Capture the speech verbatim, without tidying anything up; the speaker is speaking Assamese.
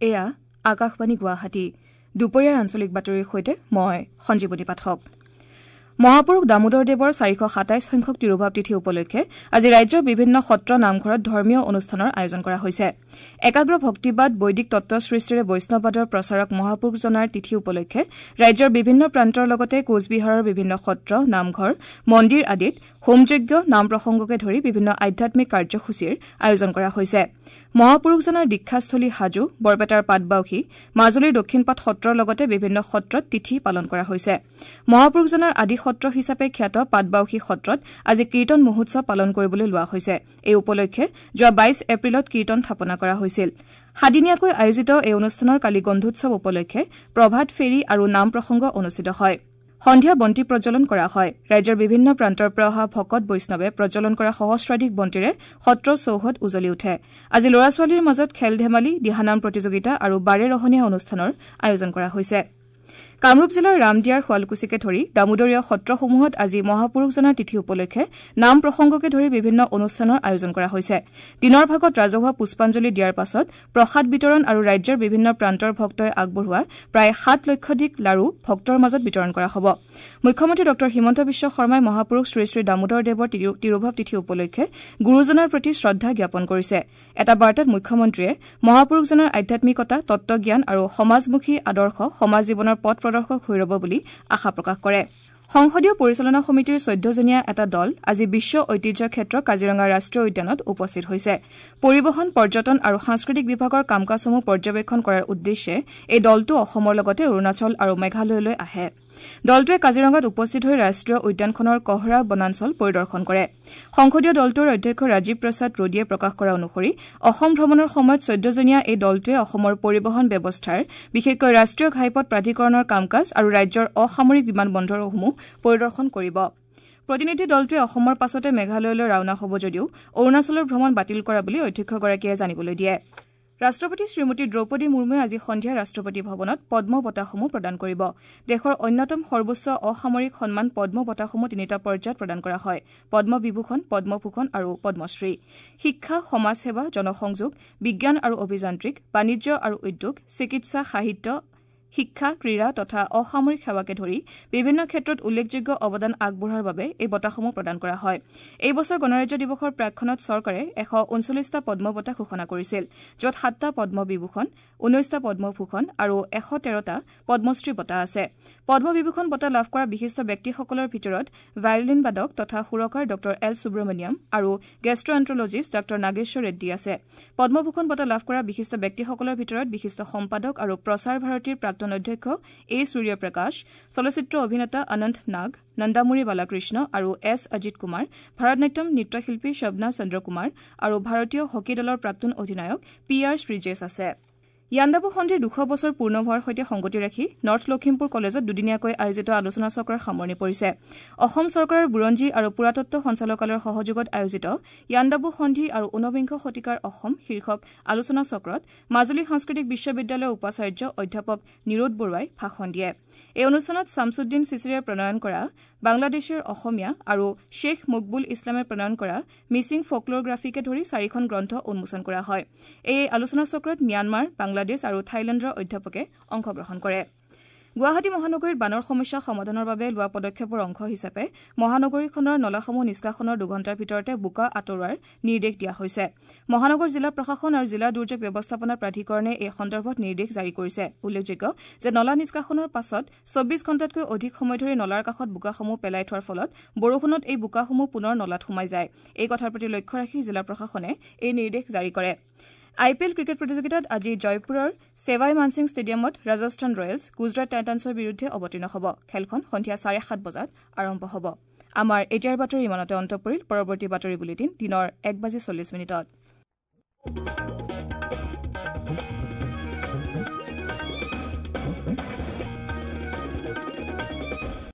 এয়া আকাশবাণী গুৱাহাটী। দুপৰীয়াৰ আঞ্চলিক বাতৰিৰ সৈতে মই সঞ্জীৱনী পাঠক। মহাপুৰুষ দামোদৰ দেৱৰ চাৰিশ সাতাইছ সংখ্যক তিৰোভাৱ তিথি উপলক্ষে আজি ৰাজ্যৰ বিভিন্ন সত্ৰ নামঘৰত ধৰ্মীয় অনুষ্ঠানৰ আয়োজন কৰা হৈছে। একাগ্ৰ ভক্তিবাদ, বৈদিক তত্ব সৃষ্টিৰে বৈষ্ণৱবাদৰ প্ৰচাৰক মহাপুৰুষজনাৰ তিথি উপলক্ষে ৰাজ্যৰ বিভিন্ন প্ৰান্তৰ লগতে কোচবিহাৰৰ বিভিন্ন সত্ৰ, নামঘৰ, মন্দিৰ আদিত হোমযজ্ঞ, নাম প্ৰসংগকে ধৰি বিভিন্ন আধ্যাত্মিক কাৰ্যসূচীৰ আয়োজন কৰা হৈছে। মহাপুৰুষজনাৰ দীক্ষাস্থলী হাজো, বৰপেটাৰ পাটবাউসী, মাজুলীৰ দক্ষিণপাট সত্ৰৰ লগতে বিভিন্ন সত্ৰত তিথি পালন কৰা হৈছে। মহাপুৰুষজনাৰ আদি সত্ৰ হিচাপে খ্যাত পাটবাউসী সত্ৰত আজি কীৰ্তন মহোৎসৱ পালন কৰিবলৈ লোৱা হৈছে। এই উপলক্ষে যোৱা বাইশ এপ্ৰিলত কীৰ্তন স্থাপনা কৰা হৈছিল। সাদিনীয়াকৈ আয়োজিত এই অনুষ্ঠানৰ কালি গন্ধোৎসৱ উপলক্ষে প্ৰভাত ফেৰী আৰু নাম প্ৰসংগ অনুষ্ঠিত হয়। সন্ধিয়া বন্তি প্ৰজ্বলন কৰা হয়। ৰাজ্যৰ বিভিন্ন প্ৰান্তৰ পৰা অহা ভকত বৈষ্ণৱে প্ৰজ্বলন কৰা সহস্ৰাধিক বন্তিৰে সত্ৰ চৌহদ উজলি উঠে। আজি ল'ৰা ছোৱালীৰ মাজত খেল ধেমালি, দিহানাম প্ৰতিযোগিতা আৰু বাৰেৰহণীয়া অনুষ্ঠানৰ আয়োজন কৰা হৈছে। কামৰূপ জিলাৰ ৰামদিয়াৰ শুৱালকুছিকে ধৰি দামোদৰীয় সত্ৰসমূহত আজি মহাপুৰুষজনাৰ তিথি উপলক্ষে নাম প্ৰসংগকে ধৰি বিভিন্ন অনুষ্ঠানৰ আয়োজন কৰা হৈছে। দিনৰ ভাগত ৰাজহুৱা পুষ্পাঞ্জলি দিয়াৰ পাছত প্ৰসাদ বিতৰণ আৰু ৰাজ্যৰ বিভিন্ন প্ৰান্তৰ ভক্তই আগবঢ়োৱা প্ৰায় সাত লক্ষাধিক লাড়ু ভক্তৰ মাজত বিতৰণ কৰা হ'ব। মুখ্যমন্ত্ৰী ডঃ হিমন্ত বিশ্ব শৰ্মাই মহাপুৰুষ শ্ৰীশ্ৰী দামোদৰ দেৱৰ তিৰোভাৱ তিথি উপলক্ষে গুৰুজনাৰ প্ৰতি শ্ৰদ্ধা জ্ঞাপন কৰিছে। এটা বাৰ্তাত মুখ্যমন্ত্ৰীয়ে মহাপুৰুষজনাৰ আধ্যাত্মিকতা, তত্বজ্ঞান আৰু সমাজমুখী আদৰ্শ সমাজ জীৱনৰ পথ প্ৰদৰ্শক হৈ ৰব বুলি আশা প্ৰকাশ কৰে। সংসদীয় পৰিচালনা সমিতিৰ চৈধ্যজনীয়া এটা দল আজি বিশ্ব ঐতিহ্য ক্ষেত্ৰ কাজিৰঙা ৰাষ্ট্ৰীয় উদ্যানত উপস্থিত হৈছে। পৰিবহণ, পৰ্যটন আৰু সাংস্কৃতিক বিভাগৰ কাম কাজসমূহ পৰ্যবেক্ষণ কৰাৰ উদ্দেশ্যে এই দলটো অসমৰ লগতে অৰুণাচল আৰু মেঘালয়লৈ আহে। দলটোৱে কাজিৰঙাত উপস্থিত হৈ ৰাষ্ট্ৰীয় উদ্যানখনৰ কহৰা বনাঞ্চল পৰিদৰ্শন কৰে। সংসদীয় দলটোৰ অধ্যক্ষ ৰাজীৱ প্ৰসাদ ৰোডীয়ে প্ৰকাশ কৰা অনুসৰি অসম ভ্ৰমণৰ সময়ত চৈধ্যজনীয়া এই দলটোৱে অসমৰ পৰিবহণ ব্যৱস্থাৰ, বিশেষকৈ ৰাষ্ট্ৰীয় ঘাইপথ প্ৰাধিকৰণৰ কাম কাজ আৰু ৰাজ্যৰ অসামৰিক বিমান বন্দৰসমূহ পৰিদৰ্শন কৰিব। প্ৰতিনিধি দলটোৱে অসমৰ পাছতে মেঘালয়লৈ ৰাওনা হ'ব যদিও অৰুণাচলৰ ভ্ৰমণ বাতিল কৰা বুলি অধ্যক্ষগৰাকীয়ে জানিবলৈ দিয়ে। ৰাষ্ট্ৰপতি শ্ৰীমতী দ্ৰৌপদী মুৰ্মুৱে আজি সন্ধিয়া ৰাষ্ট্ৰপতি ভৱনত পদ্ম বঁটাসমূহ প্ৰদান কৰিব। দেশৰ অন্যতম সৰ্বোচ্চ অসামৰিক সন্মান পদ্ম বঁটাসমূহ তিনিটা পৰ্যায়ত প্ৰদান কৰা হয়: পদ্মবিভূষণ, পদ্মভূষণ আৰু পদ্মশ্ৰী। শিক্ষা, সমাজসেৱা, জনসংযোগ, বিজ্ঞান আৰু অভিযান্ত্ৰিক, বাণিজ্য আৰু উদ্যোগ, চিকিৎসা, সাহিত্য, শিক্ষা, ক্ৰীড়া তথা অসামৰিক সেৱাকে ধৰি বিভিন্ন ক্ষেত্ৰত উল্লেখযোগ্য অৱদান আগবঢ়োৱাৰ বাবে এই বঁটাসমূহ প্ৰদান কৰা হয়। এই বছৰ গণৰাজ্য দিৱসৰ প্ৰাকক্ষণত চৰকাৰে এশ ঊনচল্লিছটা পদ্ম বঁটা ঘোষণা কৰিছিল, য'ত সাতটা পদ্মবিভূষণ, ঊনৈছটা পদ্মভূষণ আৰু এশ তেৰটা পদ্মশ্ৰী বঁটা আছে। পদ্মবিভূষণ বঁটা লাভ কৰা বিশিষ্ট ব্যক্তিসকলৰ ভিতৰত ভায়লিন বাদক তথা সুৰকাৰ ডঃ এল সুব্ৰমণিয়াম আৰু গেষ্ট্ৰএণ্ট্ৰলজিষ্ট ডঃ নাগেশ্বৰ ৰেড্ডী আছে। পদ্মভূষণ বঁটা লাভ কৰা বিশিষ্ট ব্যক্তিসকলৰ ভিতৰত বিশিষ্ট সম্পাদক আৰু প্ৰসাৰ ভাৰতীৰ প্ৰাক্তন অধ্যক্ষ এ সূৰ্যপ্ৰকাশ, চলচ্চিত্ৰ অভিনেতা অনন্ত নাগ, নন্দামুৰী বালাকৃষ্ণ আৰু এছ অজিত কুমাৰ, ভাৰতনাট্যম নৃত্যশিল্পী শবনা চন্দ্ৰকুমাৰ আৰু ভাৰতীয় হকী দলৰ প্ৰাক্তন অধিনায়ক পি আৰ শ্ৰীজেছ আছে। ইয়াণ্ডাবু সন্ধিৰ দুশ বছৰ পূৰ্ণ হোৱাৰ সৈতে সংগতি ৰাখি নৰ্থ লখিমপুৰ কলেজত দুদিনীয়াকৈ আয়োজিত আলোচনা চক্ৰৰ সামৰণি পৰিছে। অসম চৰকাৰৰ বুৰঞ্জী আৰু পুৰাতত্ব সঞ্চালকালয়ৰ সহযোগত আয়োজিত ইয়াণ্ডাবু সন্ধি আৰু ঊনবিংশ শতিকাৰ অসম শীৰ্ষক আলোচনা চক্ৰত মাজুলী সাংস্কৃতিক বিশ্ববিদ্যালয়ৰ উপাচাৰ্য অধ্যাপক নিৰোদ বৰুৱাই ভাষণ দিয়ে। এই অনুষ্ঠানত ছামছুদ্দিন চিচিৰে প্ৰণয়ন কৰা বাংলাদেশৰ অসমীয়া আৰু শ্বেখ মকবুল ইছলামে প্ৰণয়ন কৰা মিচিং ফকল'গ্ৰাফীকে ধৰি চাৰিখন গ্ৰন্থ উন্মোচন কৰা হয়। এই আলোচনা চক্ৰত ম্যানমাৰ, বাংলাদেশ আৰু থাইলেণ্ডৰ অধ্যাপকে অংশগ্ৰহণ কৰে। গুৱাহাটী মহানগৰীত বানৰ সমস্যা সমাধানৰ বাবে লোৱা পদক্ষেপৰ অংশ হিচাপে মহানগৰীখনৰ নলাসমূহ নিষ্কাশনৰ দুঘণ্টাৰ ভিতৰতে বোকা আঁতৰোৱাৰ নিৰ্দেশ দিয়া হৈছে। মহানগৰ জিলা প্ৰশাসন আৰু জিলা দুৰ্যোগ ব্যৱস্থাপনা প্ৰাধিকৰণে এই সন্দৰ্ভত নিৰ্দেশ জাৰি কৰিছে। উল্লেখযোগ্য যে নলা নিষ্কাশনৰ পাছত চৌব্বিছ ঘণ্টাতকৈ অধিক সময় ধৰি নলাৰ কাষত বোকাসমূহ পেলাই থোৱাৰ ফলত বৰষুণত এই বোকাসমূহ পুনৰ নলাত সোমাই যায়। এই কথাৰ প্ৰতি লক্ষ্য ৰাখি জিলা প্ৰশাসনে এই নিৰ্দেশ জাৰি কৰে। আই পি এল ক্ৰিকেট প্ৰতিযোগিতাত আজি জয়পুৰৰ ছেৱাই মানসিং ষ্টেডিয়ামত ৰাজস্থান ৰয়েলছ গুজৰাট টাইটানছৰ বিৰুদ্ধে অৱতীৰ্ণ হ'ব। খেলখন সন্ধিয়া চাৰে সাত বজাত আৰম্ভ হ'ব। আমাৰ এতিয়াৰ বাতৰি ইমানতে অন্ত পৰিল। পৰৱৰ্তী বাতৰি বুলেটিন দিনৰ এক বাজি চল্লিছ মিনিটত।